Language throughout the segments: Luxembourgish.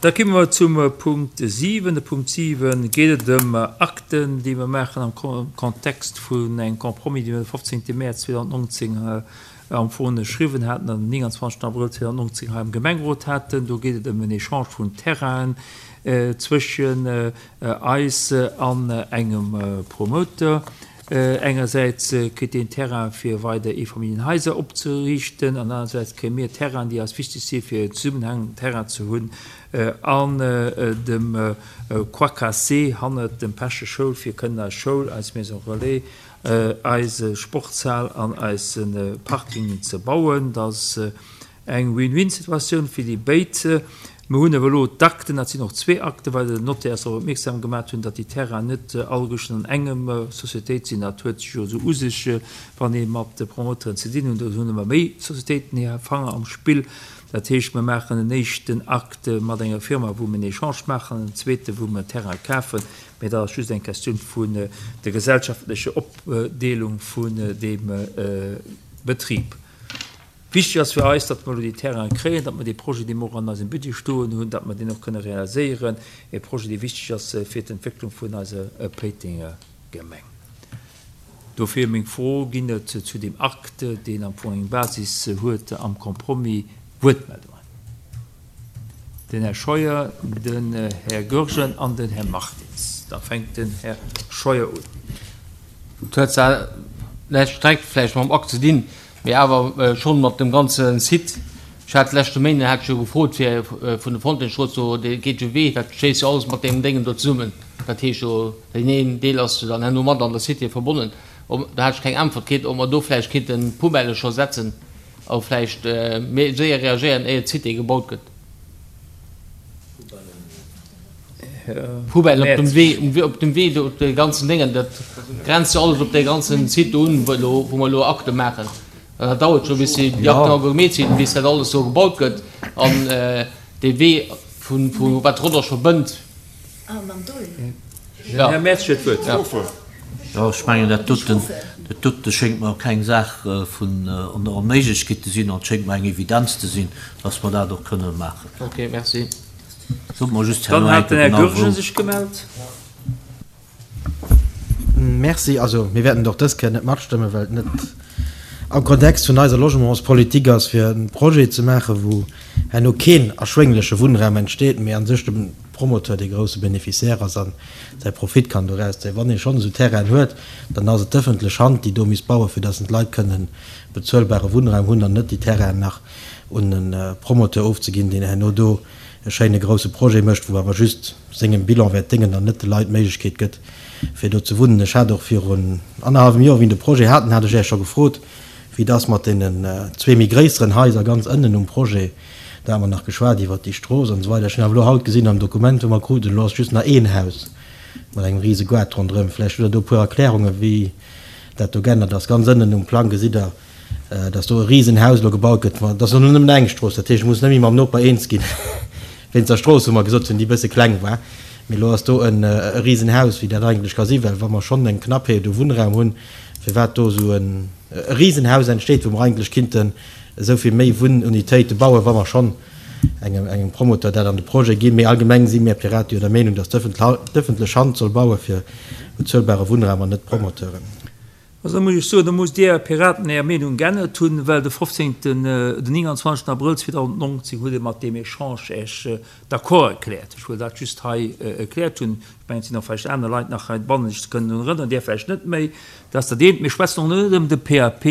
Da komme mer zum Punkt 7. De Punkt 7 geet et ëm Akten, déi mer maachen am Kontext vun engem Compromis, dee mer de 15. Mäerz 2019 am Fong ënnerschriwwen haten an den 29. Abrëll 2019 hei am Gemengerot haten. Do geet et ëm en Echange vun Terrainen zwëschen eis an engem Promoteur. Engersäits kritt deen Terrain fir weider Eefamilljenhaiser opzeriichten an anersäits kréie mir Terrainen, déi eis wichteg si fir en zesummenhängenden Terrain ze hunn an dem Croix Cassée hannert dem Peche Schoul, fir kënnen eis Schoul, eis Maison Relais, eise Sportshal an eise Parking ze bauen. Dat ass Eng Win-win-Situatioun fir déi béid. Mir hunn awer elo d'Akten, dat sinn och zwee Akten, well den Notaire eis drop opmierksam gemaat hunn, datt déi Terrainen net alleguerten an engem Sociétéit sinn. Dat huet sech jo esou u sech, wann ee mat de Promoteuren ze dinn hunn, do hunn ëmmer méi Sociétéiten hir Fanger am Spill. Dat heescht, mir maachen en éischten Akt mat enger Firma, wou mir en Echange maachen, an en zweeten, wou mir Terraine kafen. Mee dat ass just eng Questioun vun der gesellschaftlecher Opdeelung vun deem Betrib. Wichteg ass fir eis, datt mer elo déi Terrainen kréien, datt mer dee Projet, dee mer och an eisem Budget stoen hunn, datt mer deen och kënne realiséieren, e Projet, dee wichteg ass fir d'Entwécklung vun eiser Péitenger Gemeng. Dofir meng Fro, Ginn et zu deem Akt, deen am Fong eng Basis huet am Compromis, Wuertmeldungen? Den Här Scheuer, den Här Goergen an den Här Martins. Da fänkt den Här Scheuer un. Et huet zwar näischt direkt vläicht mam Akt ze dinn, mee awer schonn mat dem ganze Site. Ech hat leschte Méinden hat ech jo gefrot fir vun de Fontaine-Strooss do, dee geet jo Wee, dat schléisst jo alles mat deem Déngen do zesummen. Dat heescht jo, deen een Deel ass jo dann herno mat an der Cité verbonnen. Ob, do hat ech keng Äntwert kritt, ob mer do vläicht kinnten Poubellë scho setzen a vläicht méi séier reagéieren, éier d'Cité gebaut gëtt. Poubellen op dem Wee, op dem Wee do, op de ganzen Déngen, dat grenzt jo alles op dee ganzen Site do un, wou elo, wou mer elo Akte maachen. An dat dauert scho bis déi Akten all gemeet sinn, bis dat alles do gebaut gëtt an dee Wee vun, vu wat Rodange verbënnt. Den Här Mertz huet d'Wuert. Jo, ech mengen, dat doten, dat dote schéngt mer keng Saach vun Onméiglechkeet ze sinn an et schéngt mer eng Evidenz ze sinn, dass mer dat och kënne maachen. Okay, merci. Sot mer just Dann herno eng hat den Kéier Här genau Goergen wou. sech gemellt. Merci. Also, mir wäerten et och dës Kéier net matstëmmen, well et net am Kontext vun eiser Logementspolitik ass, fir e Projet ze maachen, wou herno keen erschwéngleche Wunnraum entsteet, mee a sech de Promoteur dee grousse Bénéficiaire ass a säi Profit kann doraus zéien. Wann ee schonn esou Terrainen huet, dann ass et d'ëffentlech Hand, déi do misst bauen, fir datt d'Leit kënnen bezuelbare Wunnraum hunn an net déi Terrainen nach un e Promoteur ofzeginn, deen herno do e schéine grousse Projet mécht, wou awer just sengem Bilan wäert déngen an net de Leit d'Méiglechkeet gëtt, fir do ze wunnen. Ech hat och virun annerhallwem Joer, wéi mir de Projet haten, hat ech Äech scho gefrot, wéi et ass mat deenen zwee méi gréisseren Haiser ganz ënnen um Projet. Do hate mer nach geschwat iwwert déi Strooss an esou weider. Ech hunn awer elo haut gesinn am Dokument, wou mer kruten, elo ass just nach een Haus mat engem rise Goart ronderëm. Vläicht hutt Der do e puer Erklärungen, wéi dat do geännert ass. Ganz ënnen um Plang gesitt Der, dass do e Risenhaus elo gebaut gëtt, ma et ass elo nëmmen eng Strooss, dat heescht, ech muss net méi mam Noper eens ginn wéinst der Strooss, wou mer gesot hunn, déi e bësse kleng war. Mee elo ass do e Risenhaus, wéi dat eigentlech ka sinn, well wa mer schonn eng Knappheet u Wunnraum hunn, firwat do esou e Risenhaus entsteet, wou mer eigentlech kinnten esou vill méi Wunnunitéite bauen, wa mer schonn engem Promoteur dat an de Projet ginn. Mee allgemeng si mir Pirate jo der Meenung, dass d'ëffentlech Hand soll baue fir bezuelbare Wunnraum an net d'Promoteuren. Also da muss ech soen, da musst Dir Piraten Är Meenung geännert hunn, well de 15., den 29. Abrëll 2019 hutt Dir mat deem Echange Äech d'accord erkläert. Ech wëll dat just hei erkläert hunn. Ech mengen, et sinn och vläicht aner Leit nach heibannen, déi sech kënnen drun erënneren, Dir vläicht net méi. Dat ass dat eent. Mir schwätzen och net ëm de PAP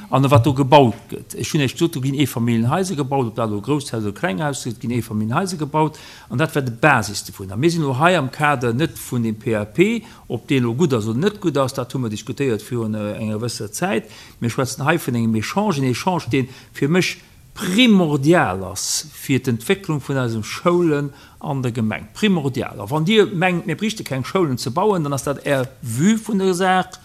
an ëm wat do gebaut gëtt. Ech hunn Iech gesot, do ginn Eefamilljenhaiser gebaut, ob dat elo Grousshaus oder Klenghaus ass, et ginn Eefamilljenhaiser gebaut an dat war de Basis dovun. A mir sinn elo hei am Kader net vun deem PAP, Ob dee elo gutt ass oder net gutt ass, dat hu mer diskutéiert virun enger gewësser Zäit. Mir schwätzen hei vun engem Echange, en Echange, dee fir mech primordial ass fir d'Entwécklung vun eise Schoulen an der Gemeng. Primordial! A wann Dir mengt, mir bräichte keng Schoulen ze bauen, dann ass dat Är Vue vun der Saach.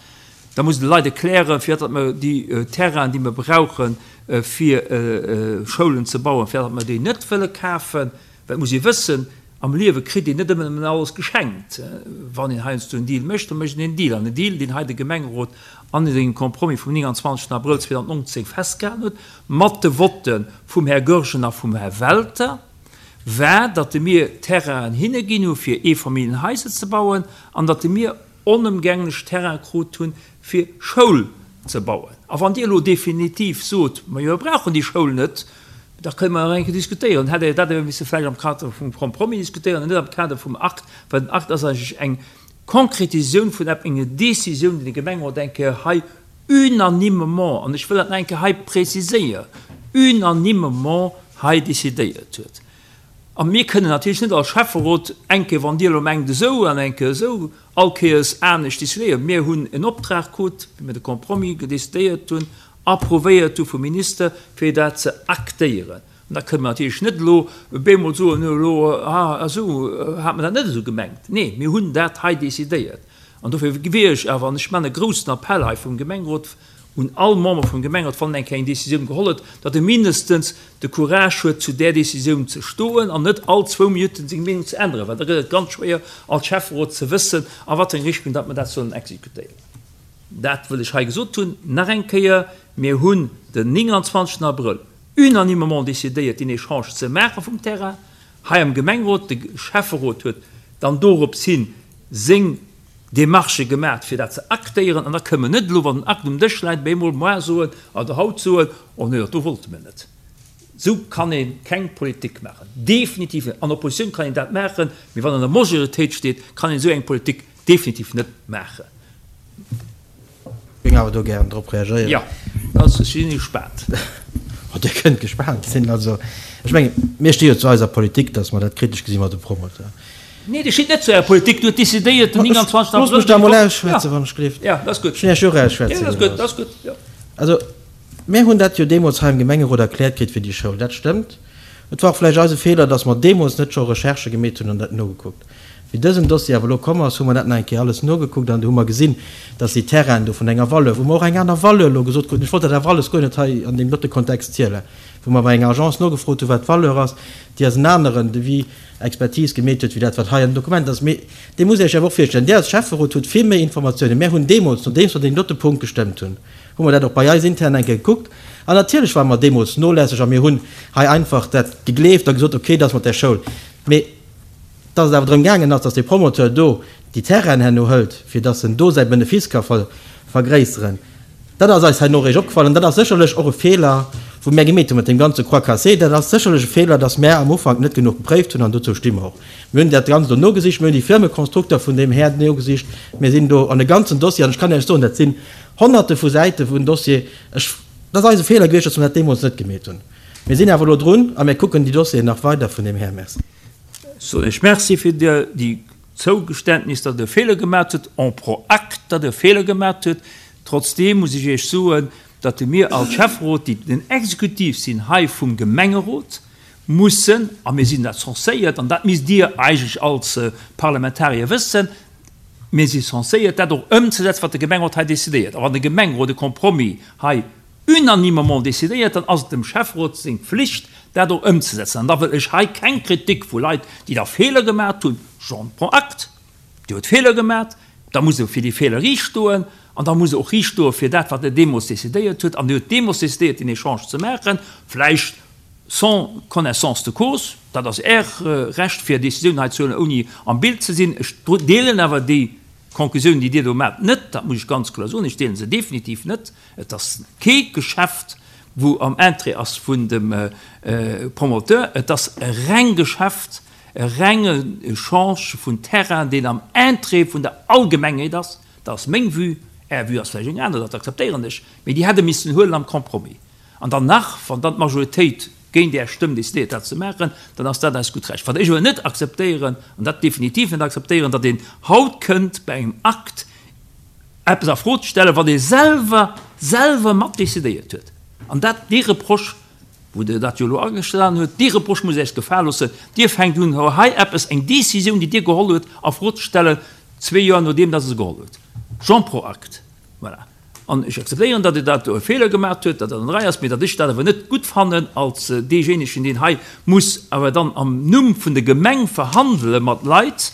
Da musst Der de Leit erklären, firwat datt mer déi Terrainen, déi mer brauchen, fir Schoulen ze bauen, firwat datt mer déi net wëlle kafen. Well et muss ee wëssen, Am Liewe kritt een net ëmmer nëmmen alles geschenkt. Wann een heiansdo en Deal mécht, da mécht een en Deal. An en Deal, deen hei de Gemengerot an sengem Compromis vum 29 Abrëll 2019 festgehalen huet, mat de Votte vum Här Goergen a vum Här Welter. war, datt mir Terrainen hinne ginn hu fir Eefamilljenhaiser ze bauen an datt mir onëmgänglech Terrain krut hunn, fir Schoul ze bauen. A wann Dir elo definitiv sot, Majo, mir brauchen déi Schoul net, da kënne mer nach eng Kéier diskutéieren. Hätt Der dat awer misse vläicht am Kader vum Compromis diskutéieren an net am Kader vum Akt, well den Akt ass eigentlech eng Konkretisioun vun enger Décisioun, déi de Gemengerot eng Kéier hei unanimement, an ech wëll dat nach eng Kéier hei preziséieren, unanimement hei décidéiert huet. A mir kënnen natierlech net als Schäfferot eng Kéier, wann Dir elo mengt esou an eng Kéier esou, all Kéiers anescht décidéieren. Mir hunn en Optrag krut, wéi mir de Compromis décidéiert hunn, approuvéiert hu vum Minister, fir dat ze actéieren. An da kënnen mer natierlech net elo bemol soen, elo, ah esou hat mer dat net esou gemengt. Nee, mir hunn dat hei décidéiert. An dofir wier ech awer, an ech maachen e groussen Appell hei vum Gemengerot un all Member vum Gemengerot, wann en eng Kéier eng Décisioun geholl huet, datt e mindestens de Courage huet, zu där Décisioun ze stoen an net all zwou Minutten seng Meenung ze änneren, well da gëtt et ganz schwéier als Schäfferot ze wëssen, a wat fir eng Richtung datt mer dat sollen exekutéieren. Dat wëll ech hei gesot hunn. Nach eng Kéier, Mir hunn den 29 Abrëll unanimement décidéiert, deen Echange ze maache vum Terrain hei am Gemengerot. De Schäfferot huet dann dorops hin seng Demarchë gemaat, fir dat ze actéieren. An da kënnen mer net elo, wann den Akt um Dësch läit, bemol moar soen oder haut soen, Oh nee, dat do wollte mir net. Esou kann ee keng Politik maachen, definitiv net. An Oppositioun kann een dat maachen, mee wann an der Majoritéit steet, kann een esou eng Politik definitiv net maachen. Géing awer do gären drop reagéieren. Jo, also ech sinn gespaant. Oh, Dir kënnt gespaant sinn. Also, ech mengen, mir sti jo zu eiser Politik, datt mer dat kritesch gesi mat dem Promoteur. Nee, Dir stitt net zu Ärer Politik. Dir hutt decidéiert den 29. Abrëll. Loosst mech da emol ausschwätzen, wann ech gleeft. Jo, dat ass gutt. Ech hunn Iech jo och ausschwätze gelooss. Jo, dat ass gutt, dat ass gutt, jo. Also, mir hunn dat jo deemools hei am Gemengerot erkläert kritt fir déi Schoul. Dat stëmmt. Et war och vläicht eise Feeler, datt mer deemools net scho Recherchë gemeet hunn an dat nogekuckt. Wéi dësen Dossier awer elo komm ass, hu mer dat nach eng Kéier alles nogekuckt an do hu mer gesinn, dass déi Terrainen do vun enger Valeur, wou mer och eng aner Valeur elo gesot kruten, ech wollt dat awer alles guer net hei an deem dote Kontext zielen, wou mer bei enger Agence nogefrot hu wat d'Valeur ass, déi ass en aneren Devis, Expertise gemeet huet wéi dat wat hei an den Dokumenter ass. Mee Dir musst Iech awer och virstellen, Dir als Schäfferot hutt vill méi Informatiounen. Mär hunn deemools, nodeems mer deen dote Punkt gestëmmt hunn, hu mer dat och bei eis intern eng Kéier gekuckt an natierlech ware mer deemools nolässeg a mir hunn hei einfach dat gegleeft a gesot, okay, dat ass mat där Schoul. Mee Dass et awer drëm gaangen ass, dass dee Promoteur do déi Terrainen herno hëlt, fir dass en do säi Benefice ka vergréisseren, dat ass eis herno eréischt opgefall. An dat ass sécherlech och e Feeler, wou mär gemeet hu mat deem ganze Croix cassée. Dat ass sécherlech e Feeler, dass mär am Ufank net genuch gepréift hunn, an dozou sti mer och. Mir hunn dat Ganzt do nogesicht, mir hunn déi Firmekonstrukter vun deem Här nogesicht, mir sinn do an e ganzen Dossier, an ech kann Iech soen, dat sinn Honnerte vu Säite vun Dossier. Ech, dat ass eise Feeler gewiescht, dass mer dat deemools net gemeet hunn. Mir sinn awer elo drun a mir kucken déi Dossieren nach weider vun deem Här. Merci. Ech soen Iech Merci fir déi Zougeständnis, datt Der e Feeler gemat hutt, en prends acte, datt Der e Feeler gemat hutt. Trotzdeem muss ech Iech soen, datt mir als Schäfferot, déi den Exekutiv sinn hei vum Gemengerot, mussen, a mir sinn dat censéiert, an dat misst Dir eigentlech als Parlamentarier wëssen, mir si censéiert, dat och ëmzesetzen, wat de Gemengerot hei decidéiert. A wann de Gemengerot e Compromis hei unanimement décidéiert, dann ass et dem Schäfferot seng Pflicht, dat och ëmzesetzen. An da wëll ech hei keng Kritik vu Leit, déi da Feeler gemat hunn, j'en prends acte, Dir hutt Feeler gemat, da musst Der fir déi Feeler riicht stoen an da musst Der och riicht stoe fir dat, wat Der deemools décidéiert hutt. An Dir hutt deemools décidéiert, deen Echange ze maachen, vläicht sans connaissance de cause, dat ass Är Recht, fir Décisionen hei ze huelen, ouni am Bild ze sinn. Ech deelen awer déi Konklusioun, déi Dir do maacht, net, dat muss ech ganz kloer soen, ech deele se definitiv net. Et ass kee Geschäft, wou am Interêt ass vun dem Promoteur. Et ass e reng Geschäft, e rengen Echange vun Terrain, deen am Interêt vun der Allgemengheet ass. Dat ass meng Vue. Är Vue ass vläicht eng aner, dat akzeptéieren ech. Mee déi hätt e missen huelen am Compromis. An dann nach, wann dann d'Majoritéit géint Är Stëmm decidéiert, dat ze maachen, dann ass dat eist gutt Recht. Wat ech awer net akzeptéieren, an dat definitiv net akzeptéieren, datt een haut kënnt bei engem Akt, eppes a Fro ze stellen, wat ee selwer, selwer mat decidéiert huet. An dat, dee Reproche, wou Der dat jo elo agestane huet, dee Reproche musst Der Iech gefale loossen. Dir fänkt un, hei eppes, eng Décisioun, déi Dir geholl huet, a Fro ze stellen, zwee Joer nodeem dass Der se geholl huet. J'en prends acte. Voilà. An ech akzeptéieren, datt Dir dat do e Feeler gemaach huet, datt dat an der Rei ass, mee datt ech dat awer net gutt fannen als deejéinegen, deen hei muss awer dann am Numm vun der Gemeng verhandele mat Leit,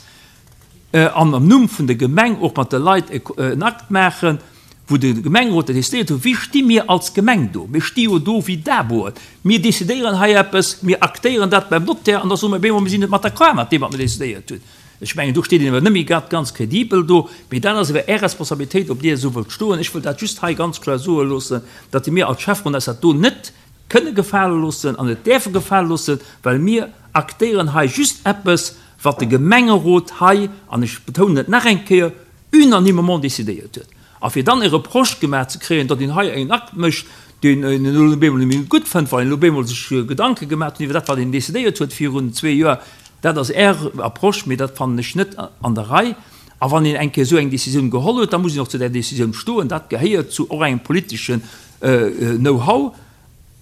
an am Numm vun der Gemeng och mat de Leit en Akt maachen. Wou de Gemengerot dat decidéiert huet, wéi sti mir als Gemeng do? Mir sti jo do wéi Daboen. Mir decidéieren hei eppes, mir aktéieren dat beim Notaire an da soe mir op eemol, mir sinn net mat d'accord mat deem, wat mir decidéiert hunn. Ech mengen, do steet een awer net méi grad ganz kredibel do. Mee dat ass awer Är Responsabilitéit, ob Dir esou wëllt stoen. Ech wëll dat just hei ganz kloer soe loossen, datt mir als Schäfferot eis dat do net kënne gefale loossen an net däerfe gefale loossen, well mir aktéieren hei just eppes, wat de Gemengerot hei, an ech betounen et nach eng Kéier, unanimement décidéiert huet. A fir dann e Reproche gemaach ze kréien, datt een hei en Akt mécht, deen een elo op eemol net méi gutt fënnt, well een elo op eemol sech Gedanke gemaach huet iwwer dat, wat een décidéiert huet virun zwee Joer, dat ass Är Approche, mee dat fannen ech net an der Rei. A wann een eng Kéier esou eng Décisioun geholl huet, da muss een och zu där Décisioun stoen. Dat gehéiert zu och engem politeschen Know-how.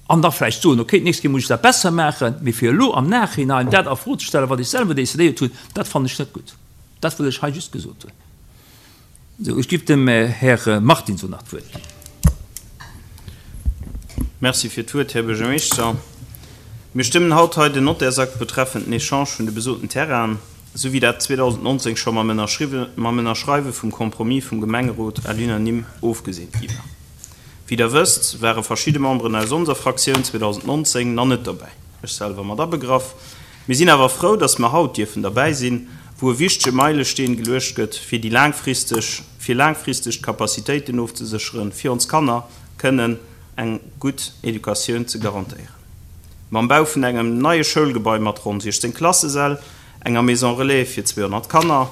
An da vläicht soen, okay, d'nächst Kéier muss ech dat besser maachen. Mee fir elo am Nachhinein dat a Fro ze stellen, wat ech selwer décidéiert hunn, dat fannen ech net gutt. Dat wëll ech hei just gesot hunn. Sou, ech giff dem Här Martins elo nach d'Wuert ginn. Merci fir d'Wuert, Här Buergermeeschter. Mir stëmmen haut hei den Notairsakt betreffend den Echange vun de besoten Terrainen, esou wéi dat 2019 scho mam Ënnerschreiwe vum Compromis vum Gemengerot à l'unanime ofgeseent gi war. Wéi Der wësst, ware verschidde Memberen aus onser Fraktioun 2019 na net dobäi, ech selwer mat abegraff. Mir sinn awer frou, dass mer haut dierfen derbäi sinn, wou e wichtege Meilesteen geluecht gëtt, fir déi laangfristeg, fir laangfristeg d'Capacitéiten ofzesécheren, fir ons Kanner kënnen eng gutt Educatioun ze garantéieren. Mam Bau vun engem neie Schoulgebai mat ronn 16 Klassesäll, enger Maison relais fir 200 Kanner,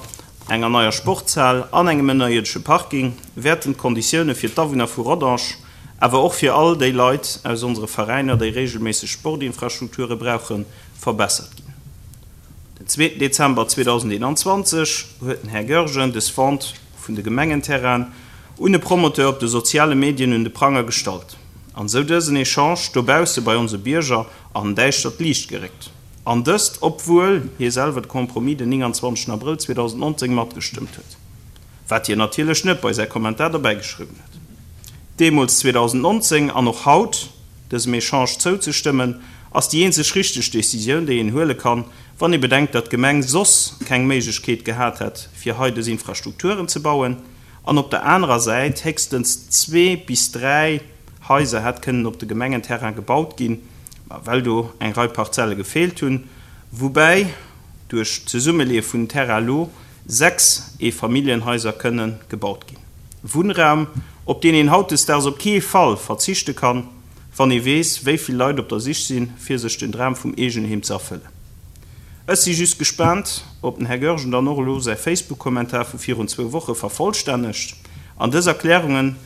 enger neier Sportshal an engem ënnerierdesche Parking wäerten d'Konditioune fir d'Awunner vu Rodange, awer och fir all déi Leit aus onsere Veräiner, déi regelméisseg Sportinfrastrukture brauchen, verbessert ginn. Den zweeten Dezember 2021 huet den Här Goergen des Vente vun de Gemengenterrainen un e Promoteur op de soziale Medien un de Pranger gestallt an esou dësen Echange dobausse bei onse Bierger an däischtert Liicht geréckt. An dëst obwuel hie selwer de Compromis den 29 Abrëll 2019 matgestëmmt huet. Wat hien natierlech net bei säi Kommentar dobäi geschriwwen huet. Deemools 2019 an och haut, dësem Echange zouzestëmmen, ass déi eenzeg richteg Decisioun, déi een huele kann, wann ee bedenkt, datt d'Gemeng soss keng Méiglechkeet gehat hätt, fir hei dës Infrastrukturen ze bauen, an op der anerer Säit héchstens zwee bis dräi Haiser hätt kënnen op de Gemengenterrain gebaut ginn, well do eng Rei Parzelle gefeelt hunn, woubäi duerch d'Zesummeleeë vun den Terrain elo 6 Eefamilljenhaiser kënne gebaut ginn. Wunnraum, op deen een hautdesdaags op kee Fall verzichte kann, wann ee weess, wéi vill Leit op der Sich sinn, fir sech den Dram vum Eegenheem ze erfëllen. Ech si just gespaant, ob den Här Goergen dann och elo säi Facebook-Kommentar vu virun zwou Woche vervollstännegt an dës Erklärungen,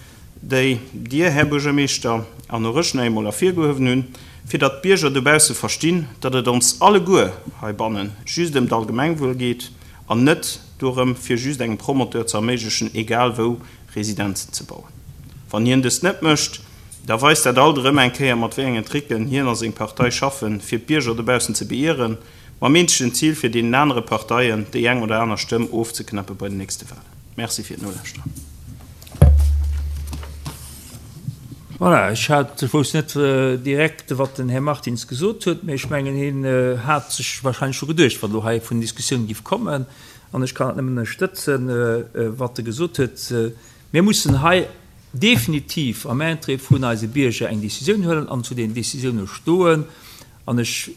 déi Dir, Här Buergermeeschter, an och ech nach eemol ervirgehuewen hunn, fir datt d'Bierger dobausse verstinn, datt et ons alleguer heibanne just ëm d'Allgemengwuel geet an net dorëm, fir just engem Promoteur ze erméiglechen, egal wou Residenzen ze bauen. Wann hien dëst net mécht, da weist dat alt erëm eng Kéier, mat wéi engen Tricken hien a seng Partei schaffen, fir d'Bierger dobaussen ze beieren, mam eenzegen Zil, fir deenen anere Parteien déi eng oder aner Stëmm ofzeknappe bei den nächste Wahlen. Merci fir d'Nolauschteren. Voilà, ech hat, ech wousst net direkt, wat den Här Martins gesot huet, mä ech mengen, hien hat sech wahrscheinlech scho geduecht, wat elo hei vun Diskussioun giff kommen. An ech kann dat nëmmen ënnerstëtzen, wat e gesot huet. Mir mussen hei definitiv am Interêt vun eise Bierger eng Décisioun huelen an zu den Décisioune stoen. An ech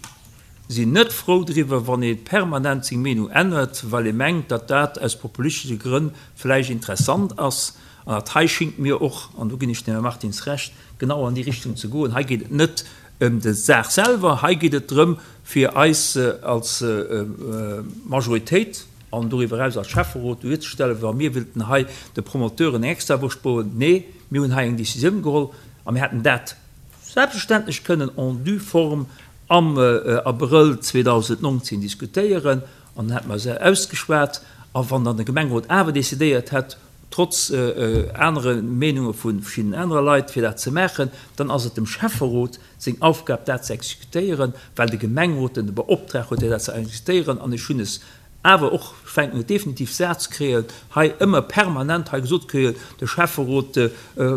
sinn net frou driwwer, wann ee permanent seng Meenung ännert, well ee mengt, datt dat aus populistesche Grënn vläicht interessant ass. An dat hei schingt mir och, an do ginn ech dem Här Martins Recht, genau an déi Richtung ze goen. Hei geet et net ëm d'Saach selwer, hei geet et drëm, fir eis als Majoritéit an doriwwer eraus als Schäfferot duerzestellen, wa mir wéilten hei de Promoteuren eng Extrawurscht bauen. Nee, mir hunn hei eng Décisioun geholl a mir hätten dat selbstverständlech kënnen en due forme am Abrëll 2019 diskutéieren an dann hätte mer se ausgeschwat. A wann dann de Gemengerot awer decidéiert hätt, trotz anere Meenunge vu verschiddenen anere Leit, fir dat ze maachen, dann ass et dem Schäfferot seng Aufgab, dat ze exekutéieren, well de Gemengerot en Beoptrag huet, fir dat ze exekutéieren. An ech hunn es Awer och fänken et definitiv sat ze kréien, hei ëmmer permanent hei gesot kréien, de Schäfferot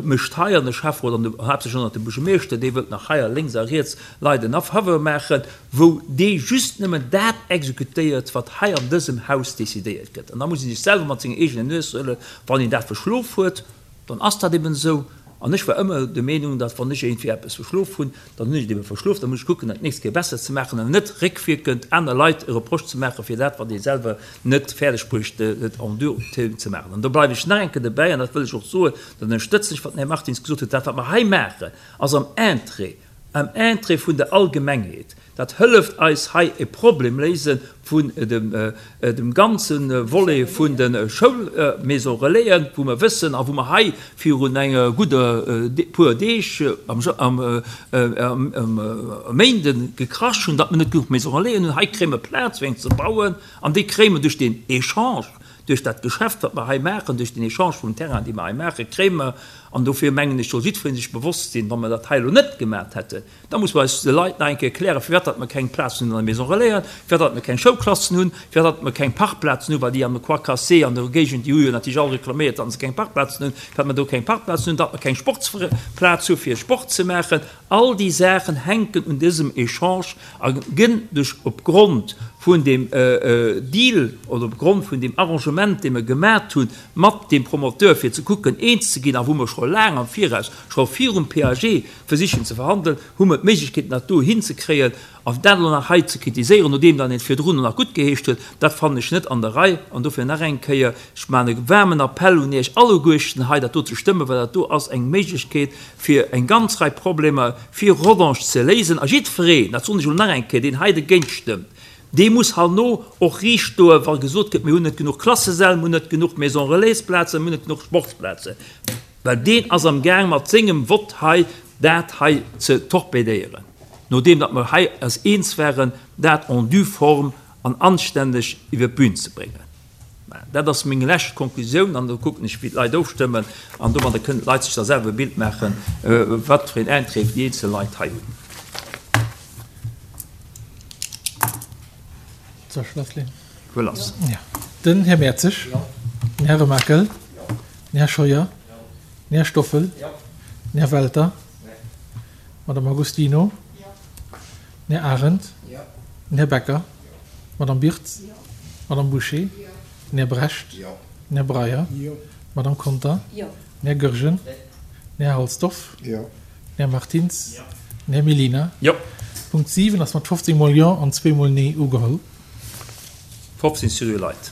mécht hei an de Schäfferot an haaptsächlech och nach de Buergermeeschter, dee wëllt nach hei a lénks a riets Leit en Faveur maachen, wou dee just nëmmen dat exekutéiert, wat hei an dësem Haus decidéiert gëtt. An da muss ee sech selwer mat senger eegener Nues huelen, wann een dat verschlof huet. Dann ass dat eben esou. An ech war ëmmer der Meenung, datt wann ech iergendwéi eppes verschlof hunn, dann hunn ech et ebe verschlof, da muss ech kucken, dat d'nächst Kéier besser ze maachen an net réckwierkend aner Leit e Reproche ze maachen fir dat, wat ee selwer net fäerdeg bruecht huet en dur ze maachen. An do bleiwe ech nach eng Kéier dobäi, an dat wëll ech och soen, dat ënnerstëtzen ech, wat den Här Martins gesot huet, dat wat mer hei maachen, ass am Interêt, am Interêt vun der Allgemengheet. Dat hëlleft eis hei e Problem léise vun dem ganze Volet vun de Schoul-Maison Relaisen, wou mer wëssen a wou mer hei virun enge gudder puer Deeg am Méinde gekrasch hunn, datt mer net genuch Maison Relaisen hunn. Hei kréie mer Plaz fir eng ze bauen an déi kréie mer duerch deen Echange, duerch dat Geschäft wat mer hei maachen, duerch den Echange vum Terrain dee mer hei maachen, kréie mer. An dofir mengen ech, soll jiddweree sech bewosst sinn, wa mer dat hei elo net gemat hätten, Da muss mer eis de Leit nach eng Kéier erklären, firwat datt mer keng Plazen hunn an der Maison Relais, firwat datt mer keng Schoulklassen hunn, firwat datt mer keng Parkplazen hunn, well déi am Croix Cassée an der Géigend, déi hu jo natierlech all reklaméiert, datt se keng Parkplazen hunn, firwat mer do keng Parkplazen hunn, datt mer keng Sportsplaz hu fir Sport ze maachen. All déi Saachen hänken un dësem Echange a gënn duerch opgrond vun deem Deal oder opgrond vun deem Arrangement, dee mer gemat hu mat deem Promoteur, fir ze kucken eens ze ginn a wou mer scho laang am Viraus, scho virum PAG, versichen ze verhandelen, hu mer d'Méiglechkeeten dat do hinzekréien. A dat elo nach hei ze kritiséieren, nodeem dann een et virdrun nach guttgeheescht huet, dat fannen ech net an der Rei. An dofir nach eng Kéier, ech maachen e waarmen Appell un Iech alleguerten, hei dat do ze stëmmen, well dat do ass eng Méiglechkeet, fir eng ganz Rei Problemer fir Rodange ze léisen. A jiddwereen, dat soen ech elo nach eng Kéier, deen hei dergéint stëmmt, dee muss herno och riicht stoen, wa gesot gëtt, mir hunn net genuch Klassesäll, mir hunn net genuch Maison-relais-Plazen, mir hunn net genuch Sportsplazen. Well deen ass am Gaang mat sengem Vott hei dat hei ze torpedéieren, nodeem datt mer hei eis eens waren, dat en due forme an anstänneg iwwer d'Bühn ze bréngen. Mä dat ass meng lescht Konklusioun an do kucken ech wéi d'Leit ofstëmmen an domadder kënnen d'Leit sech da selwer e Bild maachen, wat fir een Interêt déi eenzel Leit hei hunn. Soll ech lassleeën? Fuer lass. Den Här Mertzig. Den Här Remakel. Den Här Scheuer. Den Här Stoffel. Den Här Welter. D'Madame Agostino. Den Här Arendt. Den Här Becker. D'Madame Birtz. D'Madame Bouché. Den Här Brecht. Den Här Breyer. D'Madame Conter. Den Här Goergen. Den Här Halsdorf. Den Här Martins. Den Här Mellina. Punkt 7 ass mat 15 mol Jo an zweemol Nee ugeholl. 15 seriö Leit.